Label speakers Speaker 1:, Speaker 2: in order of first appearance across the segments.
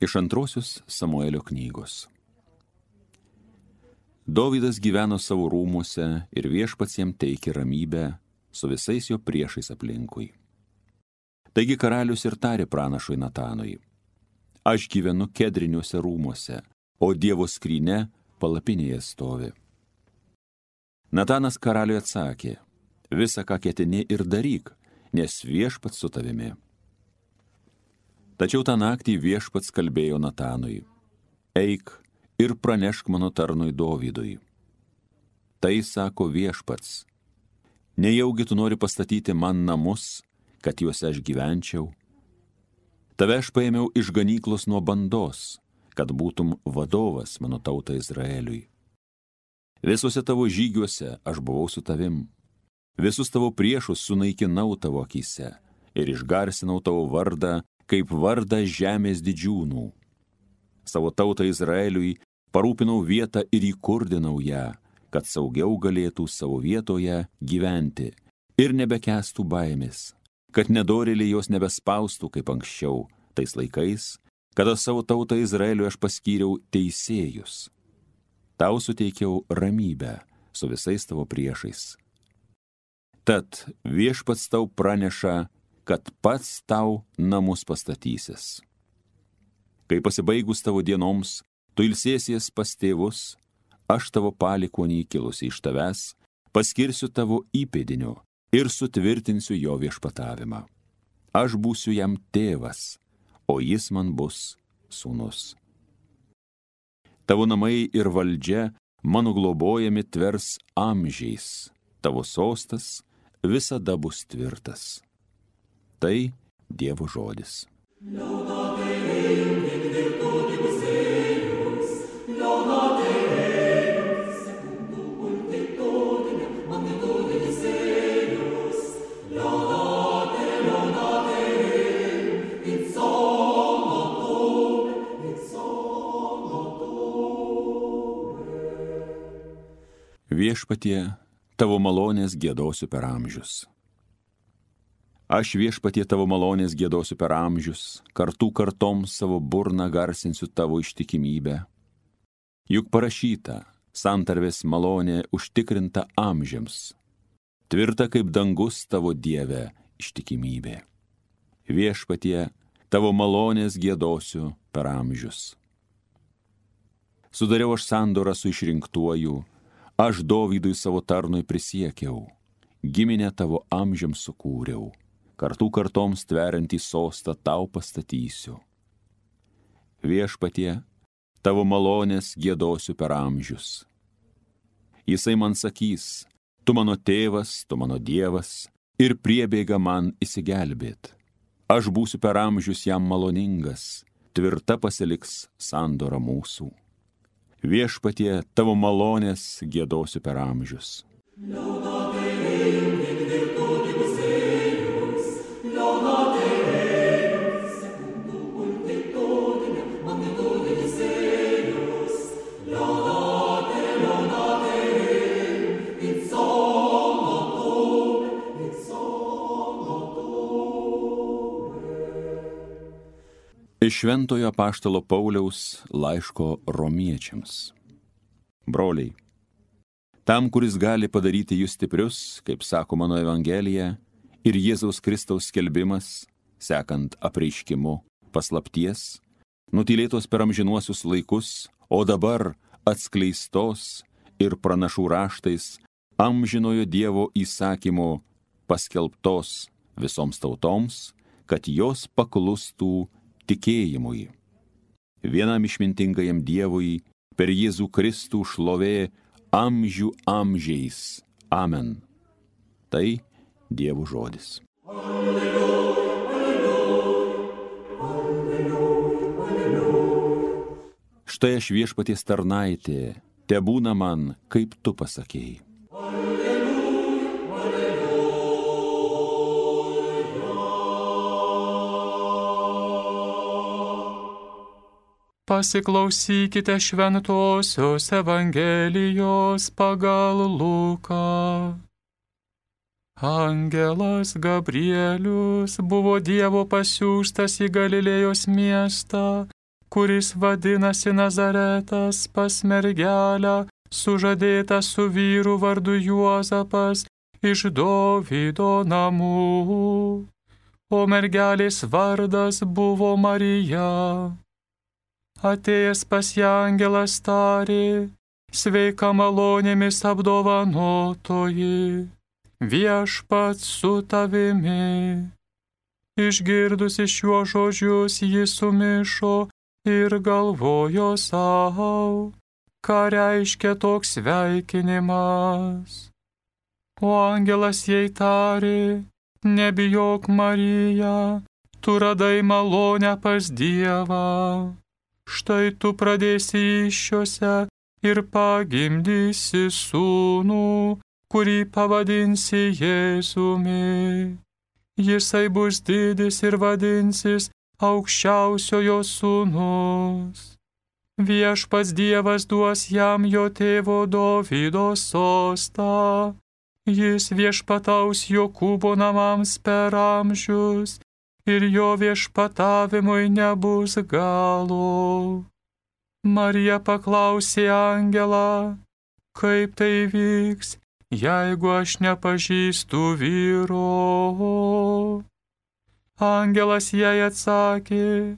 Speaker 1: Iš antrosios Samuelio knygos. Dovydas gyveno savo rūmuose ir viešpats jam teikė ramybę su visais jo priešais aplinkui. Taigi karalius ir tarė pranašui Natanui: aš gyvenu kedriniuose rūmuose, o Dievo skrynia palapinėje stovi. Natanas karaliui atsakė: visa, ką ketini, ir daryk, nes viešpats su tavimi. Tačiau tą naktį viešpats kalbėjo Natanui: eik ir pranešk mano tarnui Dovydui. Tai sako viešpats: nejaugi tu nori pastatyti man namus, kad juose aš gyvenčiau? Tave aš paėmiau iš ganyklos nuo bandos, kad būtum vadovas mano tautai Izraeliui. Visuose tavo žygiuose aš buvau su tavim. Visus tavo priešus sunaikinau tavo akyse ir išgarsinau tavo vardą, kaip vardą žemės didžiūnų. Savo tautą Izraeliui parūpinau vietą ir įkurdinau ją, kad saugiau galėtų savo vietoje gyventi ir nebekęstų baimės, kad nedorėliai jos nebespaustų kaip anksčiau, tais laikais, kada savo tautą Izraeliui aš paskyriau teisėjus. Tau suteikiau ramybę su visais tavo priešais. Tad viešpats tau praneša, kad pats tau namus pastatysis. Kai pasibaigus tavo dienoms, tu ilsėsies pas tėvus, aš tavo palikuonį kilusi iš tavęs paskirsiu tavo įpėdiniu ir sutvirtinsiu jo viešpatavimą. Aš būsiu jam tėvas, o jis man bus sūnus. Tavo namai ir valdžia mano globojami tvers amžiais, tavo sostas visada bus tvirtas. Tai Dievo žodis. Viešpatie, tavo malonės giedosiu per amžius. Aš viešpatie tavo malonės giedosiu per amžius, kartų kartoms savo burną garsinsiu tavo ištikimybę. Juk parašyta, santarvės malonė užtikrinta amžiams, tvirta kaip dangus tavo Dieve ištikimybė. Viešpatie, tavo malonės giedosiu per amžius. Sudariau aš sandorą su išrinktuoju, aš Dovydui savo tarnui prisiekiau, giminę tavo amžiams sukūriau, kartų kartoms tveriantį sostą tau pastatysiu. Viešpatie, tavo malonės giedosiu per amžius. Jisai man sakys: tu mano tėvas, tu mano Dievas, ir priebėga man įsigelbėt. Aš būsiu per amžius jam maloningas, tvirta pasiliks sandora mūsų. Viešpatie, tavo malonės giedosiu per amžius. Iš Šventojo apaštalo Pauliaus laiško Romiečiams. Broliai, tam, kuris gali padaryti jūs stiprius, kaip sako mano Evangelija, ir Jėzaus Kristaus skelbimas, sekant apreiškimu paslapties, nutylėtos per amžinuosius laikus, o dabar atskleistos ir pranašų raštais amžinojo Dievo įsakymu paskelbtos visoms tautoms, kad jos paklustų tikėjimui. Vienam išmintingajam Dievui per Jėzų Kristų šlovė amžių amžiais. Amen. Tai Dievo žodis. Alleluja, alleluja, alleluja. Štai aš viešpaties tarnaitė, tebūna man, kaip tu pasakėjai.
Speaker 2: Pasiklausykite šventosios Evangelijos pagal Luką. Angelas Gabrielius buvo Dievo pasiųstas į Galilėjos miestą, kuris vadinasi Nazaretas, pas mergelę, sužadėta su vyru vardu Juozapas iš Dovydo namų. O mergelės vardas buvo Marija. Atėjęs pas ją angelas tarė: sveika malonėmis apdovanotoji, viešpats su tavimi. Išgirdusi šiuos žodžius, ji sumišo ir galvojo sau, ką reiškia toks sveikinimas. O angelas jai tarė: nebijok, Marija, tu radai malonę pas Dievą. Štai tu pradėsi įsčiose ir pagimdysi sūnų, kurį pavadinsi Jėzumi. Jisai bus didis ir vadinsis Aukščiausiojo sūnus. Viešpats Dievas duos jam jo tėvo Dovydo sostą. Jis viešpataus Jokūbo namams per amžius, ir jo viešpatavimui nebus galo. Marija paklausė angelą: kaip tai vyks, jeigu aš nepažįstu vyro? Angelas jai atsakė: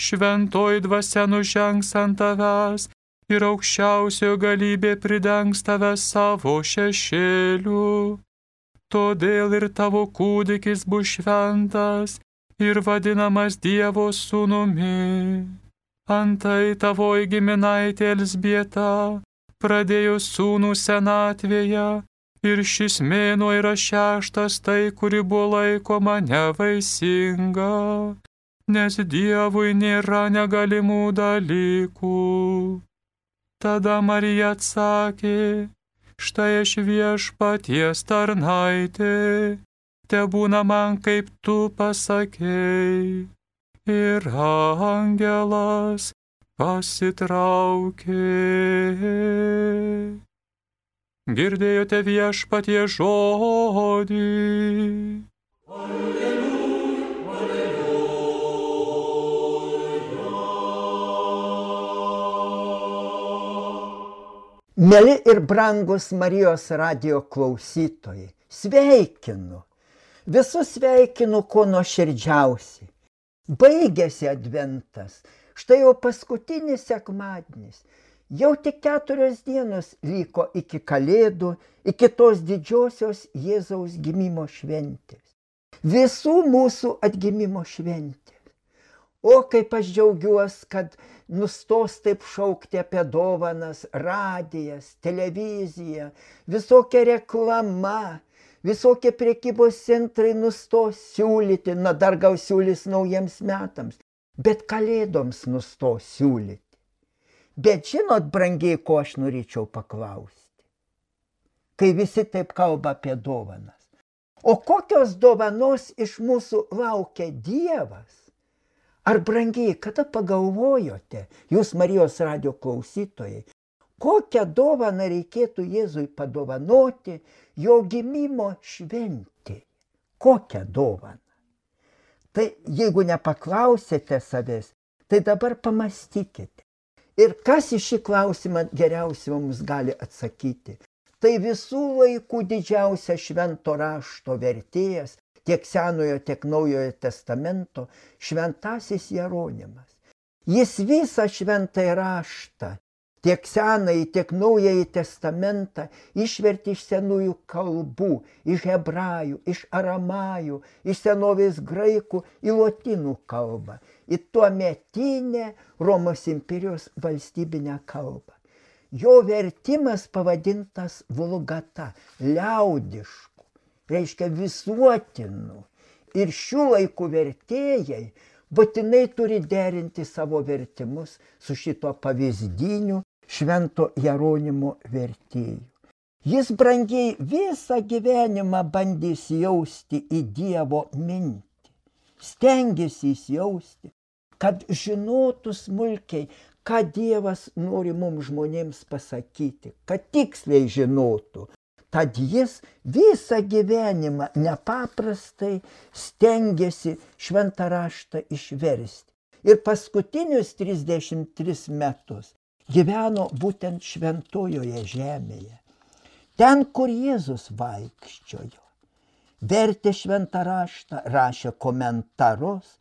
Speaker 2: šventoji dvasia nužengs ant tavęs ir aukščiausiojo galybė pridengs tave savo šešėliu. Todėl ir tavo kūdikis bus šventas ir vadinamas Dievo sūnumi. Antai tavoji giminaitė Elzbieta pradėjo sūnų senatvėje, ir šis mėnuo yra 6, tai, kuri buvo laikoma nevaisinga, nes Dievui nėra negalimų dalykų. Tada Marija atsakė: štai aš viešpaties tarnaitė, tebūna man kaip tu pasakei. Ir angelas pasitraukė. Girdėjote viešpatie žodį.
Speaker 3: Mieli ir brangus Marijos radijo klausytojai, sveikinu. Visus sveikinu kuo nuoširdžiausiai. Baigėsi adventas, štai jau paskutinis sekmadienis. Jau tik 4 dienos liko iki Kalėdų, iki tos didžiosios Jėzaus gimimo šventės. Visų mūsų atgimimo šventės. O kaip aš džiaugiuosi, kad nustos taip šaukti apie dovanas, radijas, televizija, visokia reklama, visokie prekybos centrai nustos siūlyti, dar gal siūlys naujiems metams, bet Kalėdoms nustos siūlyti. Bet žinot, brangiai, ko aš norėčiau paklausti, kai visi taip kalba apie dovanas. O kokios dovanos iš mūsų laukia Dievas? Ar brangiai, kada pagalvojote, jūs Marijos radijo klausytojai, kokią dovaną reikėtų Jėzui padovanoti jo gimimo šventėje? Kokią dovaną? Tai jeigu nepaklausėte savęs, tai dabar pamastykite. Ir kas į šį klausimą geriausiai mums gali atsakyti? Tai visų laikų didžiausia švento rašto vertėjas, tiek Senojo, tiek Naujojo testamento, šventasis Jeronimas. Jis visą šventąjį raštą, tiek Senąjį, tiek Naująjį testamentą išvertė iš senųjų kalbų, iš hebrajų, iš aramajų, iš senovės graikų į lotynų kalbą, į tuometinę Romos imperijos valstybinę kalbą. Jo vertimas pavadintas vulgata, liaudišku, reiškia visuotinu. Ir šių laikų vertėjai būtinai turi derinti savo vertimus su šito pavyzdiniu švento Jeronimo vertėju. Jis, brangiai, visą gyvenimą bandė įsijausti į Dievo mintį. Stengėsi įsijausti, kad žinotų smulkiai, ką Dievas nori mums žmonėms pasakyti, kad tiksliai žinotų. Tad jis visą gyvenimą nepaprastai stengėsi šventą raštą išversti. ir paskutinius 33 metus gyveno būtent šventojoje žemėje. Ten, kur Jėzus vaikščiojo. Vertė šventą raštą, rašė komentarus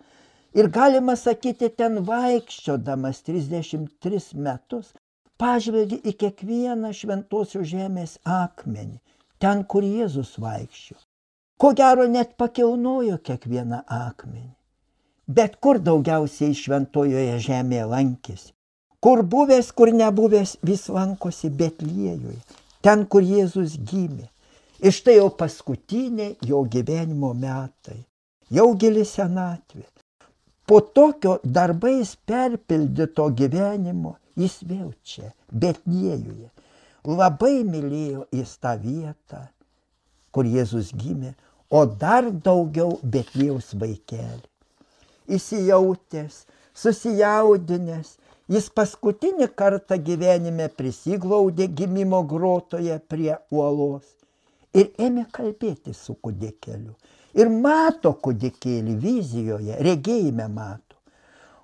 Speaker 3: ir galima sakyti, ten vaikščiodamas 33 metus pažvelgė į kiekvieną šventosios žemės akmenį, ten, kur Jėzus vaikščiojo. Ko gero net pakilnojo kiekvieną akmenį. Bet kur daugiausiai šventojoje žemėje lankėsi? Kur buvęs, kur nebuvęs, vis lankosi Betliejuje, ten, kur Jėzus gimė. Ir štai jau paskutiniai jo gyvenimo metai, jau gili senatvė. Po tokio darbais perpildyto gyvenimo jis vėl čia, Betliejuje. Labai mylėjo jis tą vietą, kur Jėzus gimė, o dar daugiau Betliejaus vaikelį. Įsijautęs, susijaudinęs, jis paskutinį kartą gyvenime prisiglaudė gimimo grotoje prie uolos ir ėmė kalbėti su kūdikėliu. Ir mato kūdikėlį vizijoje, regėjime mato.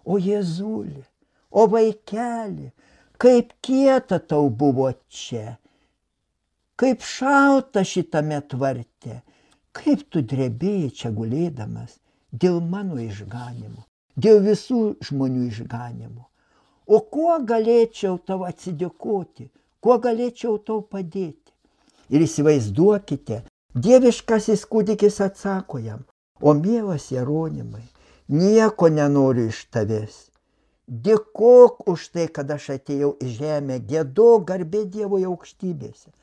Speaker 3: O Jėzuli, o vaikeli, kaip kieta tau buvo čia, kaip šalta šitame tvarte, kaip tu drebėjai čia gulėdamas dėl mano išganimo, dėl visų žmonių išganimo. O kuo galėčiau tau atsidėkoti, kuo galėčiau tau padėti? Ir įsivaizduokite, dieviškasis kūdikis atsako jam, o mielas Jeronimai, nieko nenoriu iš tavęs. Dėkok už tai, kad aš atėjau į žemę, giedok garbė Dievo aukštybėse.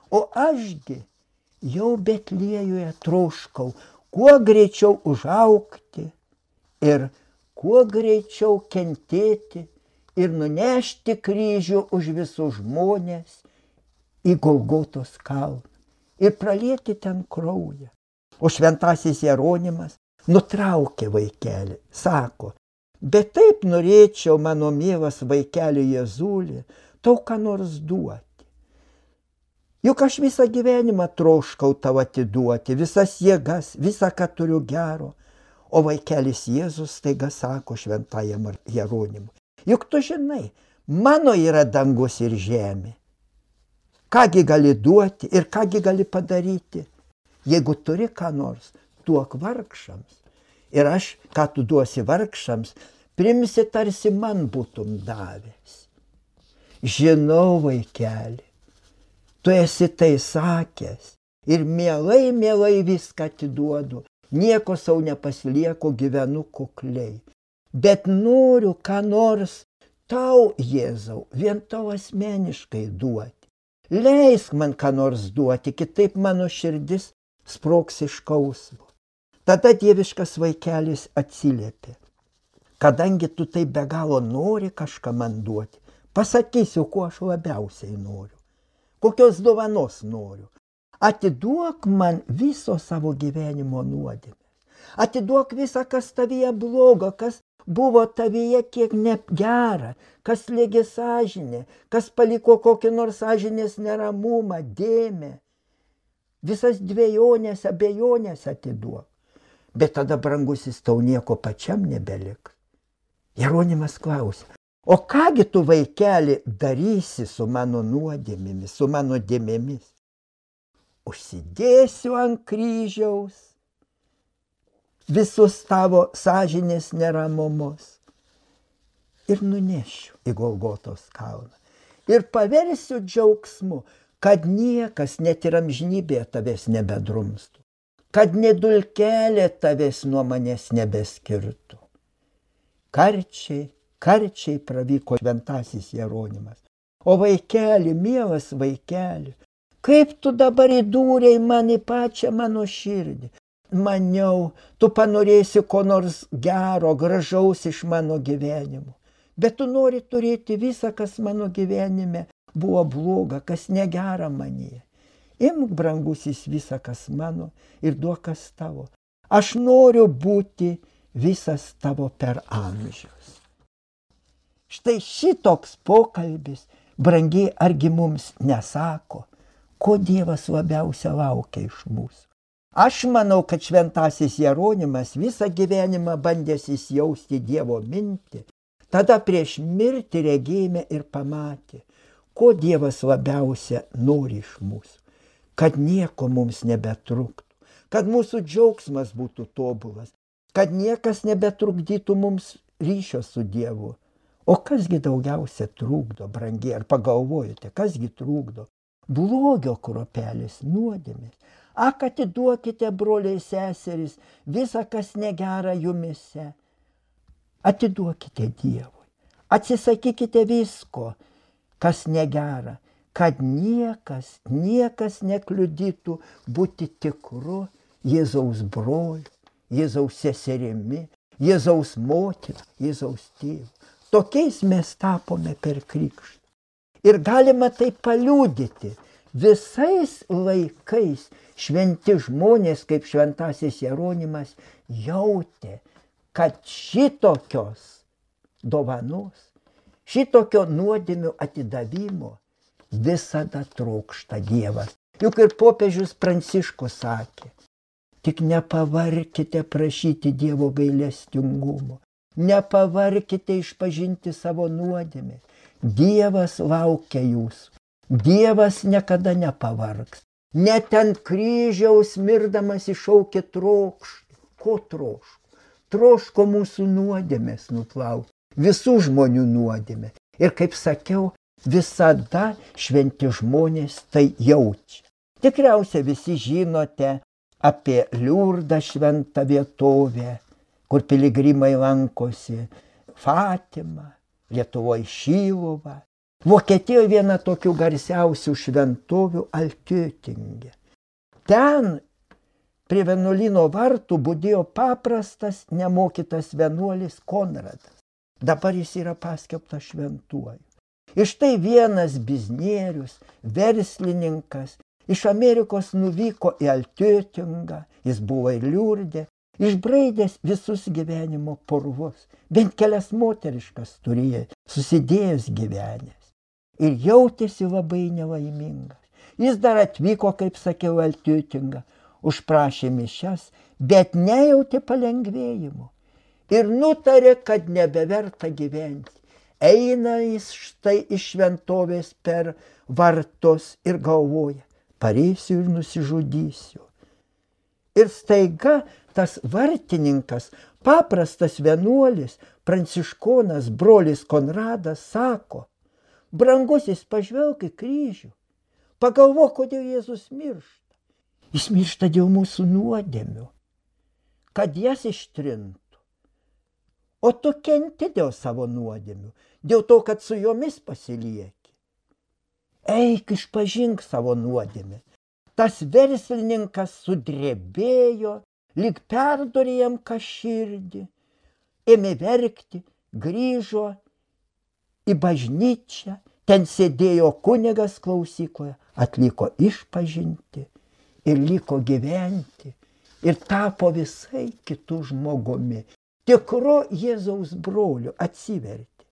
Speaker 3: O ašgi jau Betliejuje troškau, kuo greičiau užaugti ir kuo greičiau kentėti ir nunešti kryžių už visus žmonės į Golgotos kalną ir pralieti ten kraują. O šventasis Jeronimas nutraukė vaikelį, sako, bet taip norėčiau, mano mielas vaikeli Jėzuli, tau ką nors duoti. Juk aš visą gyvenimą troškau tau atiduoti, visas jėgas, visą, ką turiu gero. O vaikelis Jėzus staiga sako šventajam Jeronimui, juk tu žinai, mano yra dangus ir žemė. Kągi gali duoti ir kągi gali padaryti? Jeigu turi ką nors, duok vargšams. Ir aš, ką tu duosi vargšams, primsi tarsi man būtum davęs. Žinau, vaikeli, tu esi tai sakęs ir mielai, mielai viską atiduodu, nieko sau nepasilieku, gyvenu kukliai. Bet noriu ką nors tau, Jėzau, vien tau asmeniškai duoti. Leisk man ką nors duoti, kitaip mano širdis sprogs iš skausmo. Tada dieviškas vaikelis atsiliepė. Kadangi tu taip be galo nori kažką man duoti, pasakysiu, ko aš labiausiai noriu. Kokios dovanos noriu. Atiduok man viso savo gyvenimo nuodėmės. Atiduok visą, kas tavyje blogo, kas buvo tavyje kiek negera, kas slėgė sąžinę, kas paliko kokį nors sąžinės neramumą, dėmę. Visas dvejonės, abejonės atiduok. Bet tada, brangusis, tau nieko pačiam nebeliks. Jeronimas klausė, o kągi tu, vaikeli, darysi su mano nuodėmėmis, su mano dėmėmis? Užsidėsiu ant kryžiaus visus tavo sąžinės neramumus ir nunešiu į Golgotos kalną. Ir paversiu džiaugsmu, kad niekas net ir amžinybėje tavęs nebedrumstų, kad nedulkelė tavęs nuo manęs nebeskirtų. Karčiai pravyko šventasis Jeronimas. O vaikeli, mielas vaikeli, kaip tu dabar įdūrei man į pačią mano širdį. Maniau, tu panorėsi ko nors gero, gražaus iš mano gyvenimo. Bet tu nori turėti visą, kas mano gyvenime buvo bloga, kas negera manyje. Imk, brangusis, visą, kas mano ir duok, kas tavo. Aš noriu būti visas tavo per amžius. Štai šitoks pokalbis, brangiai, argi mums nesako, ko Dievas labiausia laukia iš mūsų. Aš manau, kad šventasis Jeronimas visą gyvenimą bandęs įsijausti Dievo mintį, tada prieš mirtį regėjime ir pamatė, ko Dievas labiausia nori iš mūsų, kad nieko mums nebetruktų, kad mūsų džiaugsmas būtų tobulas, kad niekas nebetrukdytų mums ryšio su Dievu. O kasgi daugiausia trukdo, brangiai, ar pagalvojate, kasgi trukdo? Blogio kruopelis, nuodėmės. Ak, atiduokite, broliai seserys, visą, kas negera jumise. Atiduokite Dievui. Atsisakykite visko, kas negera, kad niekas nekliudytų būti tikru Jėzaus broliu, Jėzaus seserimi, Jėzaus motina, Jėzaus tėvu. Tokiais mes tapome per krikštą. Ir galima tai paliudyti. Visais laikais šventi žmonės, kaip šventasis Jeronimas, jautė, kad šitokios dovanos, šitokio nuodėmių atidavimo visada trokšta Dievas. Juk ir popiežius Pranciškus sakė, tik nepavarkite prašyti Dievo gailestingumo, nepavarkite išpažinti savo nuodėmės. Dievas laukia jūsų. Dievas niekada nepavargs. Net ant kryžiaus mirdamas iššaukė trokštą. Ko troško? Troško mūsų nuodėmės nuplauti. Visų žmonių nuodėmė. Ir kaip sakiau, visada šventi žmonės tai jaučia. Tikriausiai visi žinote apie Liurdą šventą vietovę, kur piligrimai lankosi, Fatimą, Lietuvoje Šiluvą. Vokietijoje viena tokių garsiausių šventovių Altötinge. Ten prie vienuolyno vartų budėjo paprastas, nemokytas vienuolis Konradas. Dabar jis yra paskelbtas šventuoju. Ir štai vienas biznierius, verslininkas, iš Amerikos nuvyko į Altötingą, jis buvo ir Liurde, išbraidęs visus gyvenimo purvus, bent kelias moteriškas turėjo, susidėjęs gyvenęs. Ir jautėsi labai nelaimingas. Jis dar atvyko, kaip sakiau, Altötingą, užprašė mišias, bet nejautė palengvėjimo. Ir nutarė, kad nebeverta gyventi. Eina jis štai iš šventovės per vartus ir galvoja, pareisiu ir nusižudysiu. Ir staiga tas vartininkas, paprastas vienuolis, pranciškonas, brolis Konradas sako, brangusis, pažvelk į kryžių, pagalvok, kodėl Jėzus miršta. Jis miršta dėl mūsų nuodėmių, kad jas ištrintų. O tu kenti dėl savo nuodėmių, dėl to, kad su jomis pasilieki. Eik, išpažink savo nuodėmę. Tas verslininkas sudrebėjo, lyg perdorė jam širdį, ėmė verkti, grįžo į bažnyčią, ten sėdėjo kunigas klausykloje, atliko išpažinti ir liko gyventi ir tapo visai kitų žmogumi. Tikru Jėzaus broliu atsivertė.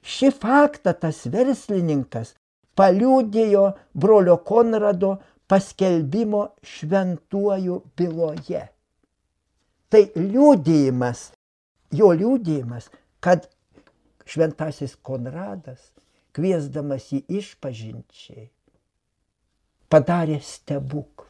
Speaker 3: Šį faktą tas verslininkas paliudijo brolio Konrado paskelbimo šventuoju byloje. Tai liudijimas, jo liudijimas, kad šventasis Konradas, kviesdamas jį išpažinčiai, padarė stebuklą.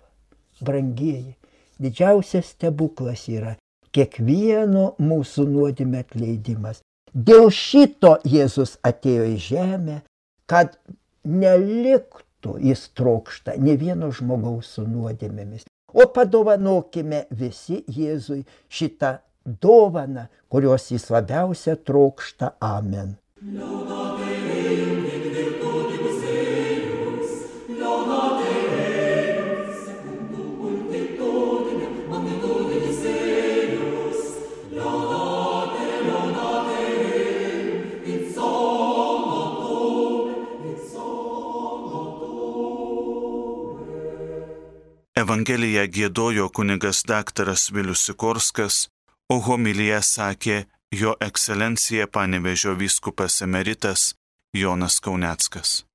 Speaker 3: Brangieji, didžiausias stebuklas yra kiekvieno mūsų nuodėmė atleidimas. Dėl šito Jėzus atėjo į žemę, kad neliktų jis trokšta ne vieno žmogaus su nuodėmėmis. O padovanokime visi Jėzui šitą dovaną, kurios jis labiausia trokšta. Amen.
Speaker 4: Evangeliją giedojo kunigas daktaras Vilius Sikorskas, o homiliją sakė jo ekscelencija Panevėžio vyskupas emeritas Jonas Kauneckas.